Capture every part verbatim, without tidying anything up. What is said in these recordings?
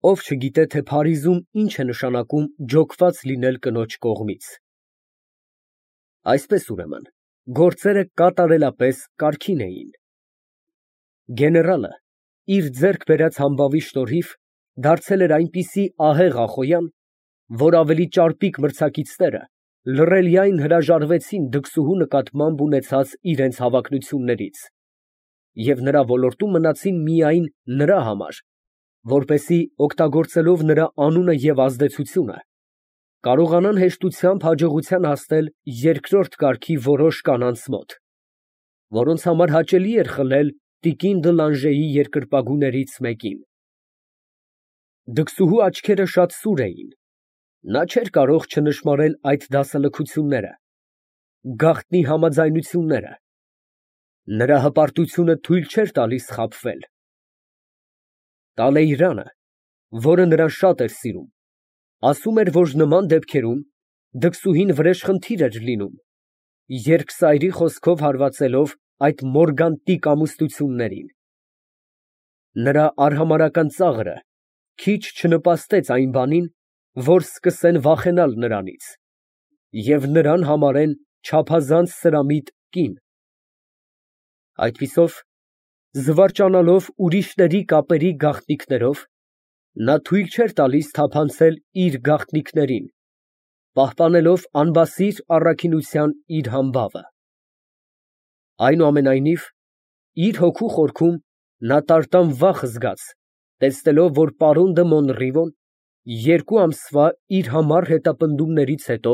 Ով չգիտե, թե Փարիզում ինչ է նշանակում ջոկված լինել կնոջ կողմից։ Այսպես, ուրեմն, գործերը կատարելապես կարգին էին։ Գեներալը իր ձեռք բերած համբավի շնորհիվ դարձել էր այնպիսի ահեղ ախոյան, որ ավելի ճարպիկ մրցակիցները լռելիայն հրաժարվեցին դքսուհու նկատմամբ ունեցած իրենց հավակնություններից և նրա ոլորտում մնացին միայն նրա համար, որպեսզի օգտագործելով նրա անունը և ազդեցությունը, կարողանան հեշտությամբ հաջողության հասնել երկրորդ կարգի որոշ կանանց մոտ, որոնց համար հաճելի էր խլել տիկին Դլանժեի երկրպագուներից մեկին։ Դքսուհու աչքերը շատ սուր էին, նա չէր կարող չնշմարել այդ դասալքությունները, գաղտնի համաձայնությունները, նրա հպարտությունը թույլ չէր տալիս խաբվել։ Տալեյրանը, որը նրան շատ էր սիրում, ասում էր, որ նման դեպքերում դքսուհին վրեժխնդիր էր լինում, երկսայրի խոսքով հարվածելով այդ մորգանտիկ ամուսնություններին։ Նրա արհամարհական ծաղրը քիչ չնպաստեց այն բանին, որ սկսեն վախենալ նրանից և նրան համարեն չափազանց սրամիտ կին։ Այդպիսով, զվարճանալով ուրիշների կապերի գաղտնիքներով, նա թույլ չէր տալիս թափանցել իր գաղտնիքներին, պահպանելով անբասիր առաքինության իր համբավը։ Այնուամենայնիվ, իր հոգու խորքում նա տարտան վախ զգաց, տեսնելով, որ պարոն դը Մոնռիվոն երկու ամսվա իր համառ հետապնդումներից հետո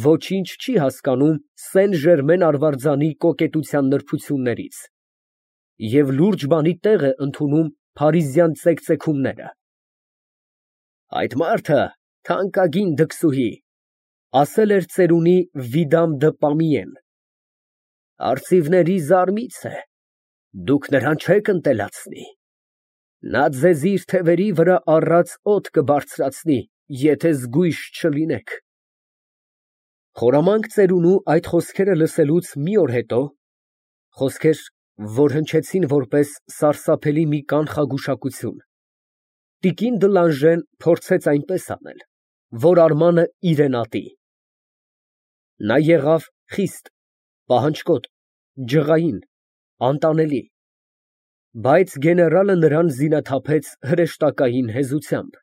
ոչինչ չի հասկանում Սեն֊Ժերմեն արվարձանի կոկետության նրբություններից և լուրջ բանի տեղ է ընդունում փարիզյան ծեկծեքումները։ «Այդ մարդը թանկագին դքսուհի», ասել էր ծերունի Վիդամ դը Պամիեն, «արծիվների զարմից է, դուք նրան չեք ընտելացնի, նա ձեզ իր թևերի վրա առած օդ կբարձրացնի, եթե զգույշ չլինեք»։ Խորամանկ ծերունու այդ խոսքերը լսելուց մի օր հետո, խոսքեր, որ հնչեցին որպես սարսափելի մի կանխագուշակություն, տիկին Դլանժեն փորձեց այնպես անել, որ Արմանը իրեն ատի։ Նա եղավ խիստ, պահանջկոտ, ջղային, անտանելի, բայց գեներալը նրան զինաթափեց հրեշտակային հեզությամբ։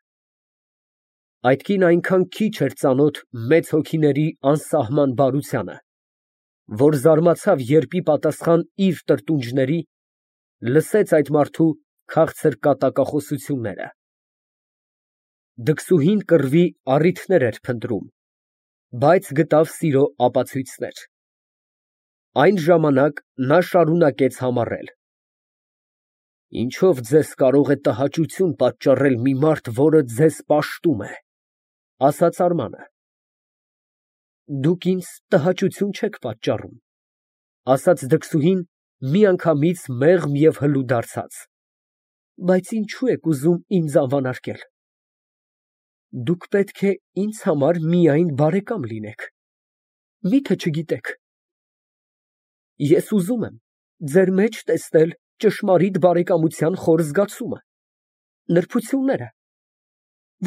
Այդ կինը այնքան քիչ էր ծանոթ մեծ հոգիների անսահման բարությանը, որ զարմացավ, երբ ի պատասխան իր տրտունջների լսեց այդ մարդու քաղցր կատակախոսությունները։ Դքսուհին կռվի առիթներ էր փնտրում, բայց գտավ սիրո ապացույցներ։ Այն ժամանակ նա շարունակեց համառել. «Ինչո՞վ ձեզ կարող է տհաճություն պատճառել մի մարդ, որը ձեզ պաշտում է», ֊ ասաց Արմանը։ «Դուք ինձ տհաճություն չեք պատճառում», ֊ ասաց դքսուհին միանգամից մեղմ և հլու դարձած, ֊ բայց ինչո՞ւ եք ուզում ինձ անվանարկել։ Դուք պետք է ինձ համար միայն բարեկամ լինեք, մի՞թե չգիտեք։ Ես ուզում եմ ձեր մեջ տեսնել ճշմարիտ բարեկամության խոր զգացումը, նրբությունները,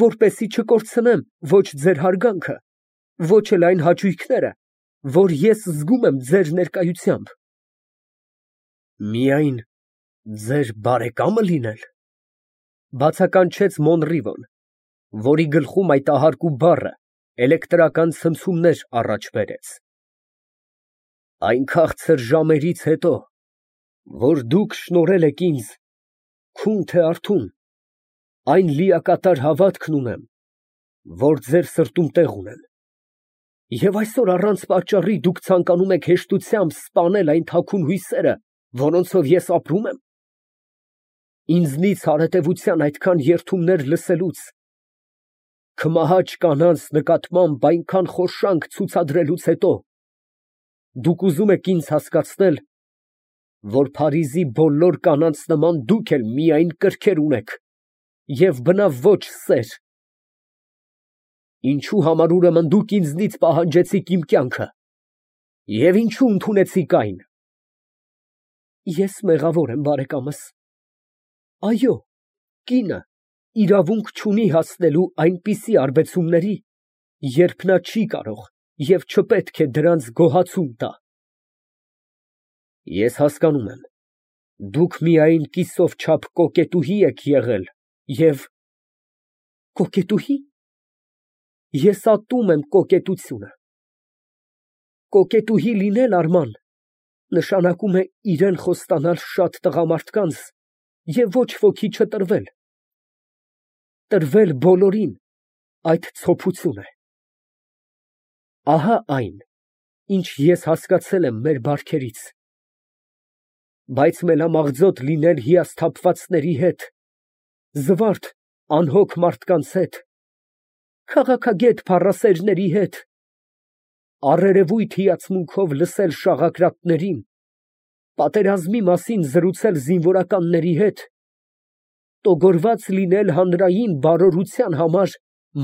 որպեսզի չկորցնեմ ոչ ձեր հարգանքը, ոչ էլ այն հաճույքները, որ ես զգում եմ ձեր ներկայությամբ։ Միայն ձեր բարեկամը լինե՞լ, ֊ բացականչեց Մոնռիվոն, որի գլխում այդ ահարկու բառը էլեկտրական ցնցումներ առաջ բերեց։ Այն քաղցր ժամերից հետո, որ դուք շնորհել եք ինձ, քուն թե արթուն, այն լիակատար հավատքն ունեմ, որ ձեր սրտում տեղ ունեն, և այսօր առանց պատճառի դուք ցանկանում եք հեշտությամբ սպանել այն թաքուն հույսերը, որոնցով ես ապրում եմ։ Ինձնից հարետևության այդքան երդումներ լսելուց, քմահաճ կանանց նկատմամբ այնքան խոշանք ցուցադրելուց հետո, դուք ուզում եք ինձ հասկացնել, որ Փարիզի բոլոր կանանց նման դուք էլ միայն կրքեր ունեք և բնավ ոչ սեր։ Ինչո՞ւ համար ուրեմն դուք ինձնից պահանջեցիք իմ կյանքը և ինչո՞ւ ընդունեցիք այն։ Ես մեղավոր եմ, բարեկամս, այո, կինը, իրավունք չունի հասնելու այնպիսի արբեցումների, երբ նա չի կարող և չպետք է դրանց գոհացում տա։ Ես հասկանում եմ, դուք միայն կիսով չափ կոկետուհի եք եղել և… կոկետուհի՞։ Ես ատում եմ կոկետությունը։ Կոկետուհի լինել, Արման, նշանակում է իրան խոստանալ շատ տղամարդկանց և ոչ ոքի չտրվել, տրվել բոլորին, այդ ցոփություն է։ Ահա այն, ինչ ես հասկացել եմ մեր բարքերից։ Բայց մելամաղձոտ լինել հիասթափվածների հետ, զվարթ, անհոգ մարդկանց հետ, քաղաքագետ փառասերների հետ, առերևույթ հիացմունքով լսել շաղակրատներին, պատերազմի մասին զրուցել զինվորականների հետ, տոգորված լինել հանրային բարօրության համար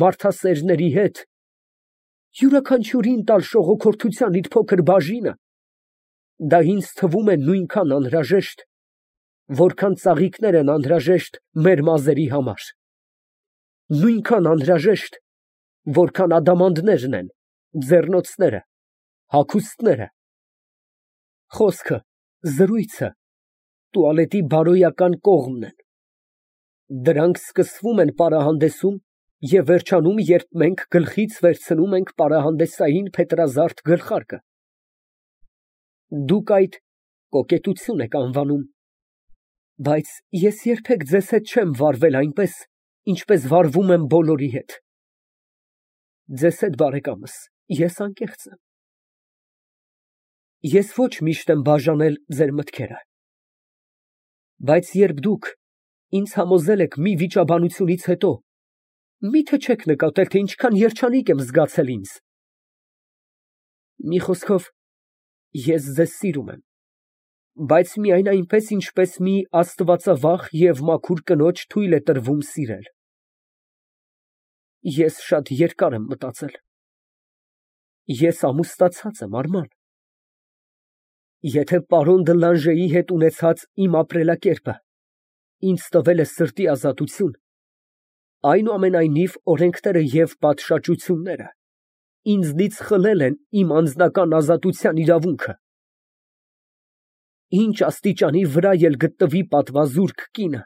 մարդասերների հետ, յուրաքանչյուրին տալ շողոքորթության իր փոքր բաժինը, դա ինձ թվում է նույնքան անհրաժեշտ, որքան ծաղիկներ են անհրաժեշտ մեր մազերի համար, նույնքան անհրաժեշտ, որքան ադամանդներն են, ձեռնոցները, հագուստները, խոսքը, զրույցը, տուալետի բարոյական կողմն են։ Դրանք սկսվում են պարահանդեսում և վերջանում, երբ մենք գլխից վերցնում ենք պարահանդեսային փետրազարդ գլխարկը։ Դուք այդ կոկետություն եք անվանում, բայց ես երբեք ձեզ հետ չեմ վարվել այնպես, ինչպես վարվում եմ բոլորի հետ։ Ձեզ հետ, բարեկամս, ես անկեղծ եմ։ Ես ոչ միշտ եմ բաժանել ձեր մտքերը։ Բայց երբ դուք ինձ համոզել եք մի վիճաբանությունից հետո, մի՞թե չեք նկատել, թե ինչքան երջանիկ եմ զգացել ինձ։ Մի խոսքով, ես ձեզ սիրում եմ, բայց միայն այնպես, ինչպես մի աստվածավախ և մաքուր կնոջ թույլ է տրվում սիրել։ Ես շատ երկար եմ մտածել։ Ես ամուսնացած եմ, Արման։ Եթե պարոն դը Լանժեի հետ ունեցած իմ ապրելակերպը ինձ տվել է սրտի ազատություն, այնուամենայնիվ օրենքները և պատշաճությունները ինձնից խլել են իմ անձնական ազատության իրավունքը։ Ինչ աստիճանի վրա էլ գտնվի պատվազուրկ կինը,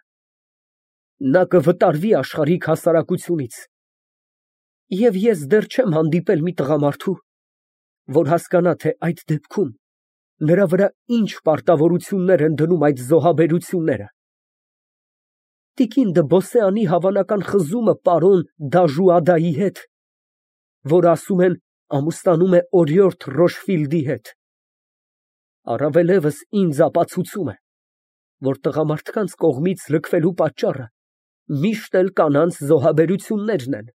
նա կվտարվի աշխարհիկ հասարակությունից, և ես դեռ չեմ հանդիպել մի տղամարդու, որ հասկանա, թե այդ դեպքում նրա վրա ինչ պարտավորություններ են դնում այդ զոհաբերությունները։ Տիկին դը Բոսեանի հավանական խզումը պարոն Դաժուադայի հետ, որը, ասում են, ամուսնանում է օրիորդ Ռոշֆիլդի հետ, առավելևս ինձ ապացուցում է, որ տղամարդկանց կողմից լքվելու պատճառը միշտ էլ կանանց զոհաբերություններն են։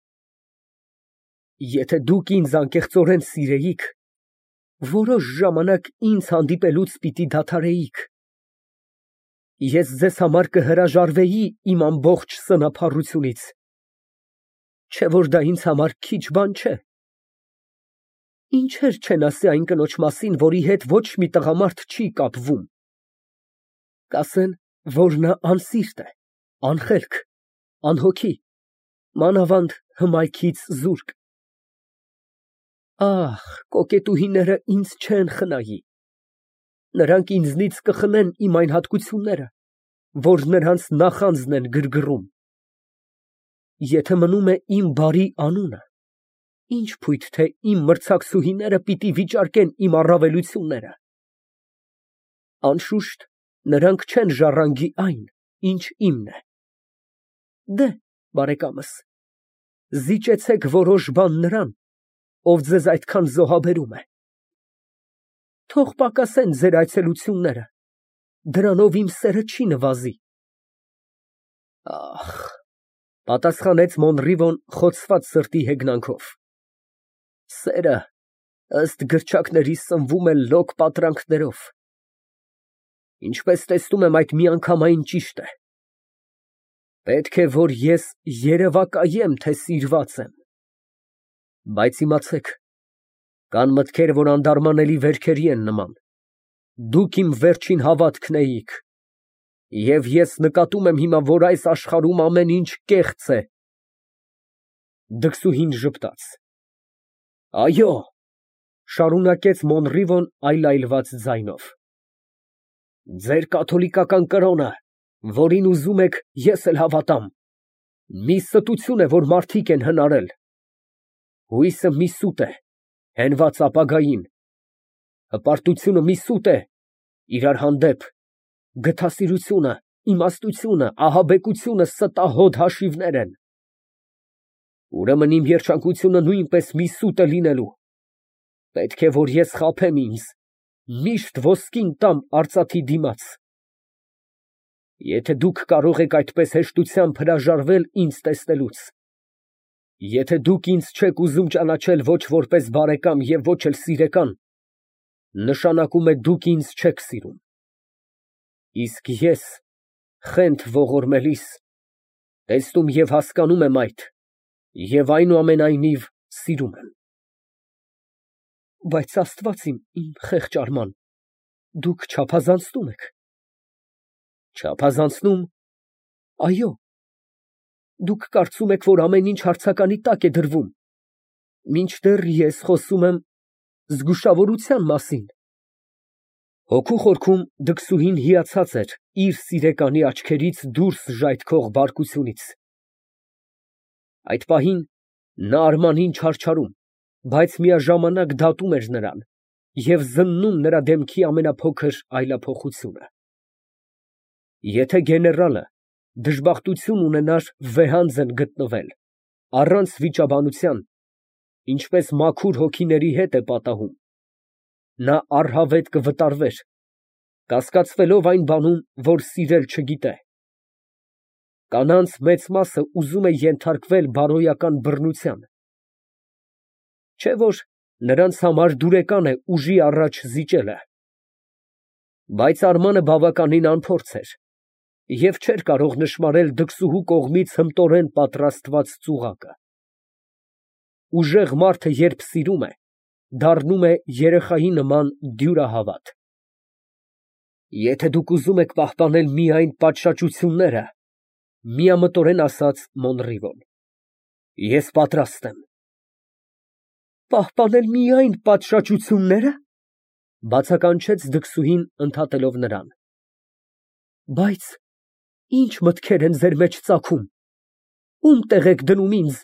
Եթե դուք ինձ անկեղծորեն սիրեիք, որոշ ժամանակ ինձ հանդիպելուց պիտի դադարեիք։ Ես ձեզ համար կհրաժարվեի իմ ամբողջ սնափառությունից, չէ՞ որ դա ինձ համար քիչ բան չէ։ Ինչեր չեն ասի այն կնոջ մասին, որի հետ ոչ մի տղամարդ չի կապվում։ Կասեն, որ նա անսիրտ է, անխելք, անհոգի, մանավանդ հմայքից զուրկ։ Ահ, կոկետուհիները ինձ չեն խնայի։ Նրանք ինձնից կխլեն իմ այն հատկությունները, որ նրանց նախանձն են գրգռում։ Եթե մնում է իմ բարի անունը, ինչ փույթ, թե իմ մրցակցուհիները պիտի վիճարկեն իմ առավելությունները։ Անշուշտ, նրանք չեն ժառանգի այն, ինչ իմն է։ Դե, բարեկամս, զիջեցեք որոշ բան նրան, ով ձեզ այդքան զոհաբերում է։ Թող պակասեն ձեր այցելությունները, դրանով իմ սերը չի նվազի։ Ախ, պատասխանեց Մոնրիվոն խոցված սրտի հեգնանքով, սերը ըստ գրչակների սնվում է լոկ պատրանքներով։ Ինչպես տեսնում եմ, այդ միանգամայն ճիշտ է։ Պետք է, որ ես երևակայեմ, թե սիրված եմ։ Բայց իմացեք, կան մտքեր, որ անդարմանելի վերքերի են նման։ Դուք իմ վերջին հավատքն էիք։ Եվ ես նկատում եմ հիմա, որ այս աշխարհում ամեն ինչ կեղծ է։ Դքսուհին ժպտաց։ Այո, շարունակեց Մոնրիվոն այլայլված ձայնով, ձեր կաթոլիկական կրոնը, որին ուզում եք, ես էլ հավատամ, մի ստություն է, որ մարդիկ են հնարել։ Հույսը մի սուտ է, հենված ապագային, հպարտությունը մի սուտ է, իրար հանդեպ, գթասիրությունը, իմաստությունը, ահաբեկությունը ստահոդ հաշիվներ են։ Ուրեմն իմ երջանկությունը նույնպես մի սուտ է լինելու։ Պետք է, որ ես խաբեմ ինձ, միշտ ոսկին տամ արծաթի դիմաց։ Եթե դուք կարող եք այդպես հեշտությամբ հրաժարվել ինձ տեսնելուց, եթե դուք ինձ չեք ուզում ճանաչել ոչ որպես բարեկամ և ոչ էլ սիրեկան, նշանակում է դուք ինձ չեք սիրում։ Իսկ ես, խենթ ողորմելիս, տեսնում և հասկանում եմ այդ և այնուամենայնիվ սիրում եմ։ Բայց Աստված իմ, իմ խեղճ Արման, դուք չափազանցնում եք։ Չափազանցնո՞ւմ։ Այո։ Դուք կարծում եք, որ ամեն ինչ հարցականի տակ է դրվում, մինչդեռ ես խոսում եմ զգուշավորության մասին։ Հոգու խորքում դքսուհին հիացած էր իր սիրեկանի աչքերից դուրս ժայթքող բարկությունից։ Այդ պահին նա Արմանին չարչարում, բայց միաժամանակ դատում էր նրան և զննում նրա դեմքի ամենափոքր այլափոխությունը։ Եթե գեներալը դժբախտություն ունենար վեհանձն գտնվել, առանց վիճաբանության, ինչպես մաքուր հոգիների հետ է պատահում, նա առհավետ կվտարվեր, կասկածվելով այն բանում, որ սիրել չգիտե։ Կանանց մեծ մասը ուզում է ենթարկվել բարոյական բռնության, չէ՞ որ նրանց համար դուրեկան է ուժի առաջ զիջելը։ Բայց Արմանը բավականին անփորձ էր և չէր կարող նշմարել դքսուհու կողմից հմտորեն պատրաստված ծուղակը։ Ուժեղ մարդը, երբ սիրում է, դառնում է երեխայի նման դյուրահավատ։ Եթե դուք ուզում եք պահպանել միայն պատշաճությունները, միամտորեն ասաց Մոնրիվոն, ես պատրաստ եմ։ Պահպանել միայն պատշաճություննե՞րը, բացականչեց դքսուհին, ընդհատելով նրան։ Բայց ի՞նչ մտքեր են ձեր մեջ ծագում, ո՞ւմ տեղ եք դնում ինձ։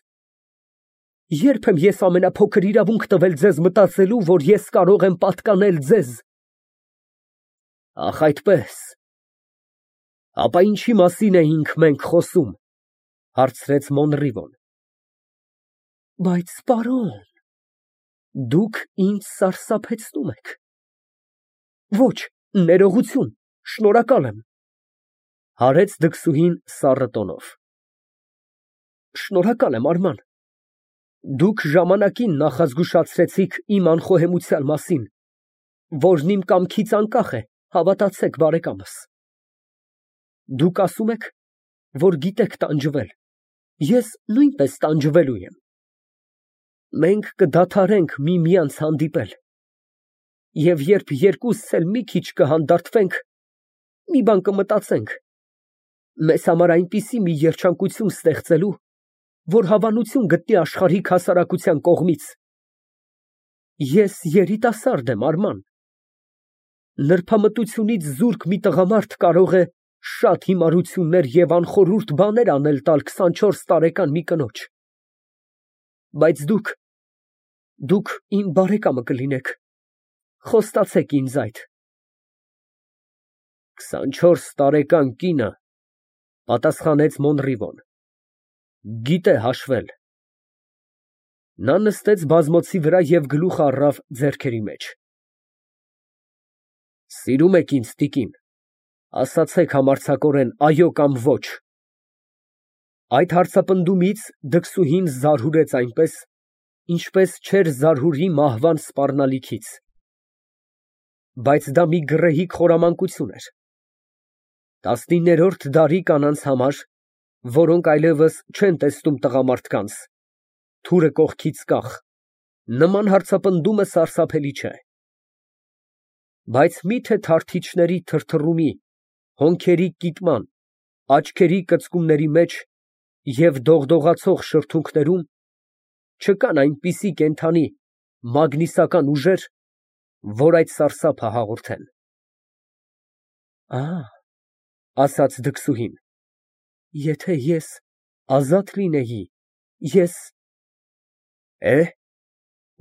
Ե՞րբ եմ ես ամենափոքր իրավունք տվել ձեզ մտածելու, որ ես կարող եմ պատկանել ձեզ։ Ախ, այդպես։ Ապա ինչի մասին էինք մենք խոսում, հարցրեց Մոնրիվոն։ Բայց, պարոն, դուք ինձ սարսափեցնում եք։ Ոչ, ներողություն, շնորհակալ եմ, հարեց դքսուհին սառը տոնով։ Շնորհակալ եմ, Արման, դուք ժամանակին նախազգուշացրեցիք իմ անխոհեմության մասին, որն իմ կամքից անկախ է, հավատացեք, բարեկամս։ Դուք ասում եք, որ գիտեք տանջվել, ես նույնպես տանջվելու եմ։ Մենք կդադարենք միմյանց հանդիպել, և երբ երկուսս էլ մի քիչ կհանդարտվենք, մի բան կմտածենք, մեզ համար այնպիսի մի երջանկություն ստեղծելու, որ հավանություն գտնի աշխարհիկ հասարակության կողմից։ Ես երիտասարդ եմ, Արման։ Նրբամտությունից զուրկ մի տղամարդ կարող է շատ հիմարություններ և անխորհուրդ բաներ անել տալ քսանչորս տարեկան մի կնոջ։ Բայց դուք, դուք իմ բարեկամը կլինեք, խոստացեք ինձ այդ։ Քսանչորս տարեկան կինը, պատասխանեց Մոնրիվոն, գիտե հաշվել։ Նա նստեց բազմոցի վրա և գլուխը առավ ձեռքերի մեջ։ Սիրում եք ինձ, տիկին, ասացեք համարձակորեն այո կամ ոչ։ Այդ հարցապնդումից դքսուհին զարհուրեց այնպես, ինչպես չէր զարհուրի մահվան սպառնալիքից։ Բայց դա մի գռեհիկ խորամանկություն էր։ Տասնիններորդ դարի կանանց համար, որոնք այլևս չեն տեսնում տղամարդկանց, թուրը կողքից կախ, նման հարցապնդումը սարսափելի չէ։ Բայց մի՞թե թարթիչների թրթռումի, Հոնքերի կիտման, աչքերի կծկումների մեջ և դողդողացող շրթունքներում չկան այնպիսի կենդանի, մագնիսական ուժեր, որ այդ սարսափը հաղորդեն։ Ա, ասաց դքսուհին, եթե ես ազատ լինեի, ես… Է,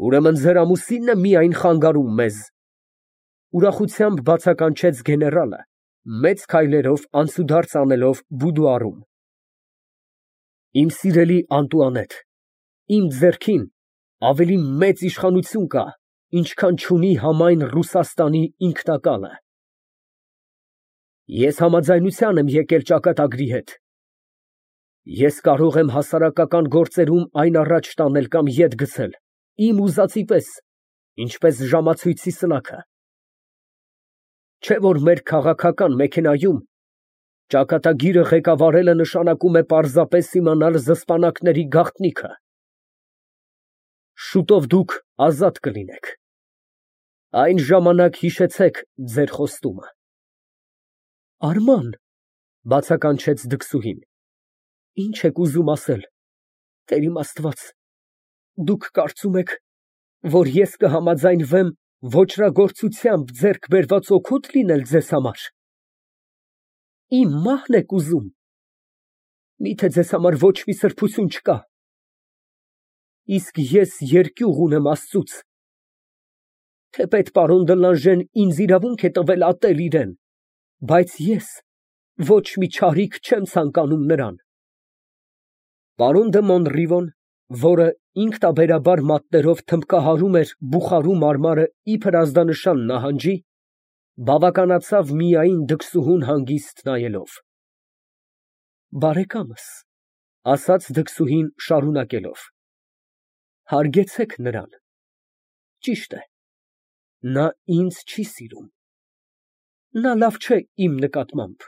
ուրեմն ձեր ամուսինն է միայն խանգարում մեզ… ուրախությամբ բացականչեց գեներալը, մեծ քայլերով անցուդարձ անելով բուդուարում։ Իմ սիրելի Անտուանետ, իմ ձեռքին ավելի մեծ իշխանություն կա, ինչքան չունի համայն Ռուսաստանի ինքնակալը։ Ես համաձայնության եմ եկել ճակատագրի հետ։ Ես կարող եմ հասարակական գործերում այն առաջ տանել կամ ետ գցել, իմ ուզածի պես, ինչպես ժամացույցի սլաքը։ Չէ՞ որ մեր քաղաքական մեքենայում ճակատագիրը ղեկավարելը նշանակում է պարզապես իմանալ զսպանակների գաղտնիքը։ Շուտով դուք ազատ կլինեք։ Այն ժամանակ հիշեցեք ձեր խոստումը։ Արման, բացականչեց դքսուհին, ի՞նչ եք ուզում ասել, Տեր իմ Աստված, դուք կարծում եք, որ ես կհամաձայնվեմ ոճրագործությամբ ձեռք բերված օգուտ լինել ձեզ համար։ Իմ մահն եք ուզում։ Մի՞թե ձեզ համար ոչ մի սրբություն չկա։ Իսկ ես երկյուղ ունեմ Աստծուց։ Թեպետ պարոն Դլանժեն ինձ իրավունք է տվել ատել իրան, բայց ես ոչ մի չարիք չեմ ցանկանում նրան։ Պարոն դը Մոնրիվոն, որը ինքնաբերաբար մատներով թմբկահարում էր բուխարու մարմարը իբր ազդանշան նահանջի, բավականացավ միայն դքսուհուն հանգիստ նայելով։ Բարեկամս, ասաց դքսուհին շարունակելով, հարգեցեք նրան։ Ճիշտ է, նա ինձ չի սիրում։ Նա լավ չէ իմ նկատմամբ,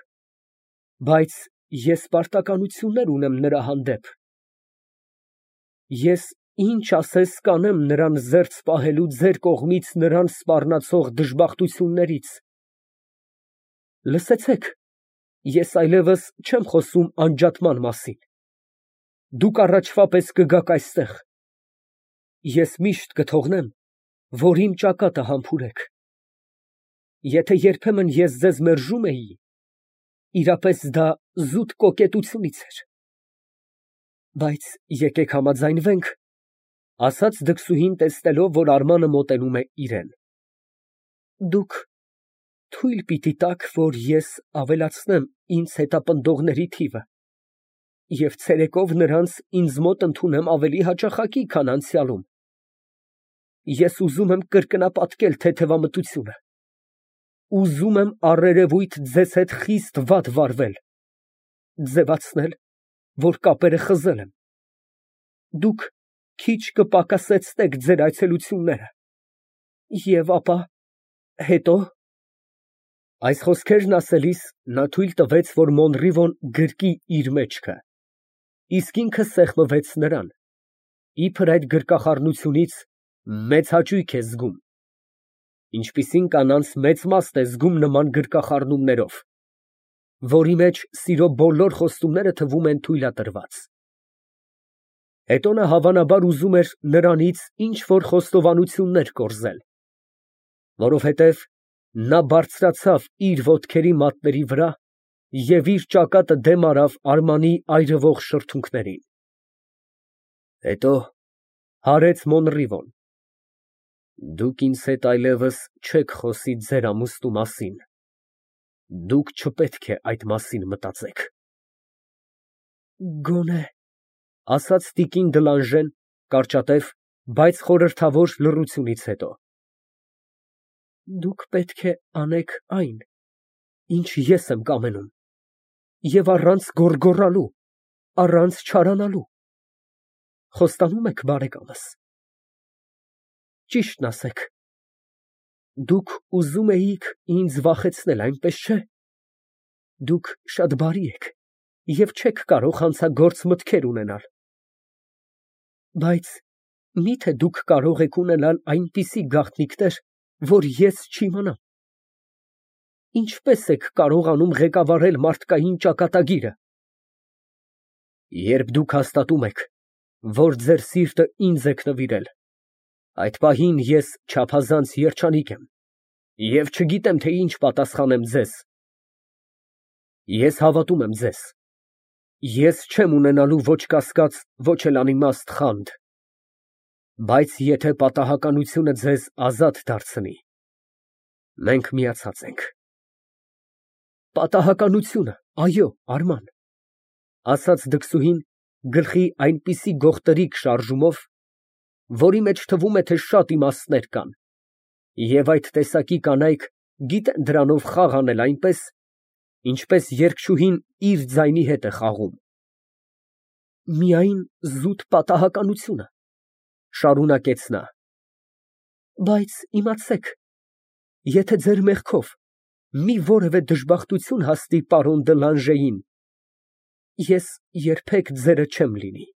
բայց ես պարտականություններ ունեմ նրա հանդեպ։ Ես ինչ ասես կանեմ նրան զերծ պահելու ձեր կողմից նրան սպառնացող դժբախտություններից։ Լսեցեք, ես այլևս չեմ խոսում անջատման մասին։ Դուք առաջվա պես կգաք այստեղ։ Ես միշտ կթողնեմ, որ իմ ճակատը համբուրեք։ Եթե երբեմն ես ձեզ մերժում էի, իրապես դա զուտ կոկետությունից էր։ Բայց եկեք համաձայնվենք, ասաց դքսուհին, տեսնելով, որ Արմանը մոտենում է իրան։ Դուք թույլ պիտի տաք, որ ես ավելացնեմ ինձ հետապնդողների թիվը և ցերեկով նրանց ինձ մոտ ընդունեմ ավելի հաճախակի, քան անցյալում։ Ես ուզում եմ կրկնապատկել թեթևամտությունը։ Ուզում եմ առերևույթ ձեզ հետ խիստ վատ վարվել, ձևացնել, որ կապերը խզել եմ։ Դուք քիչ կպակասեցնեք ձեր այցելությունները, և ապա… հետո… Այս խոսքերն ասելիս նա թույլ տվեց, որ Մոնրիվոն գրկի իր մեջքը, իսկ ինքը սեղմվեց նրան, իբր այդ գրկախառնությունից մեծ հաճույք է զգում, ինչպիսին կանանց մեծ մաստ է զգում նման գրկախառնումներով, որի մեջ սիրո բոլոր խոստումները թվում են թույլատրված։ Հետո նա հավանաբար ուզում էր նրանից ինչ֊որ խոստովանություններ կորզել, որովհետև նա բարձրացավ իր ոտքերի մատների վրա և իր ճակատը դեմ արավ Արմանի այրվող շրթունքներին։ Հետո հարեց Մոնրիվոն. Դուք ինձ հետ այլևս չեք խոսի ձեր ամուսնու մասին, դուք չպետք է այդ մասին մտածեք։ Գոնե… ասաց տիկին Դլանժեն կարճատև, բայց խորհրդավոր լռությունից հետո, դուք պետք է անեք այն, ինչ ես եմ կամենում, և առանց գոռգոռալու, առանց չարանալու։ Խոստանո՞ւմ եք, բարեկամս։ Ճիշտն ասեք, դուք ուզում էիք ինձ վախեցնել, այնպես չէ՞։ Դուք շատ բարի եք և չեք կարող հանցագործ մտքեր ունենալ։ Բայց մի՞թե դուք կարող եք ունենալ այնպիսի գաղտնիքներ, որ ես չիմանամ։ Ինչպես եք կարողանում ղեկավարել մարդկային ճակատագիրը։ Երբ դուք հաստատում եք, որ ձեր սիրտը ինձ եք նվիրել, այդ պահին ես չափազանց երջանիկ եմ և չգիտեմ, թե ինչ պատասխանեմ ձեզ։ Ես հավատում եմ ձեզ, ես չեմ ունենալու ոչ կասկած, ոչ էլ անիմաստ խանդ, բայց եթե պատահականությունը ձեզ ազատ դարձնի, մենք միացած ենք։ Պատահականությունը, այո, Արման, ասաց դքսուհին գլխի այնպիսի գողտրիկ շարժումով, որի մեջ թվում է, թե շատ իմաստներ կան, և այդ տեսակի կանայք գիտեն դրանով խաղ անել այնպես, ինչպես երգչուհին իր ձայնի հետ է խաղում։ Միայն զուտ պատահականությունը, շարունակեց նա, բայց իմացեք, եթե ձեր մեղքով մի որևէ դժբախտություն հասնի պարոն Դը Լանժեին, ես երբեք ձերը չեմ լինի։